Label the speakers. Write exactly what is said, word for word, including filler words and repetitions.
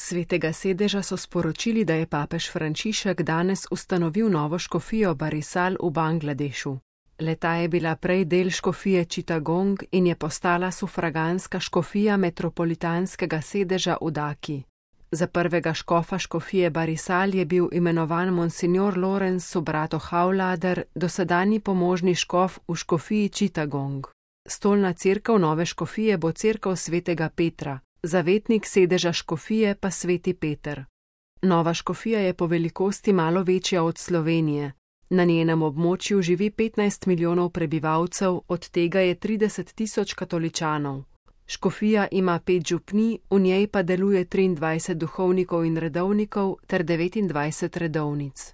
Speaker 1: Svetega sedeža so sporočili, da je papež Frančišek danes ustanovil novo škofijo Barisal v Bangladešu. Le-ta je bila prej del škofije Chittagong in je postala sufraganska škofija metropolitanskega sedeža v Daki. Za prvega škofa škofije Barisal je bil imenovan monsignor Lorenz Sobrato Havlader, dosedanji pomožni škof v škofiji Chittagong. Stolna cerkev nove škofije bo cerkev svetega Petra, zavetnik sedeža škofije pa sveti Peter. Nova škofija je po velikosti malo večja od Slovenije. Na njenem območju živi petnajst milijonov prebivalcev, od tega je trideset tisoč katoličanov. Škofija ima pet župnij, v njej pa deluje triindvajset duhovnikov in redovnikov ter devetindvajset redovnic.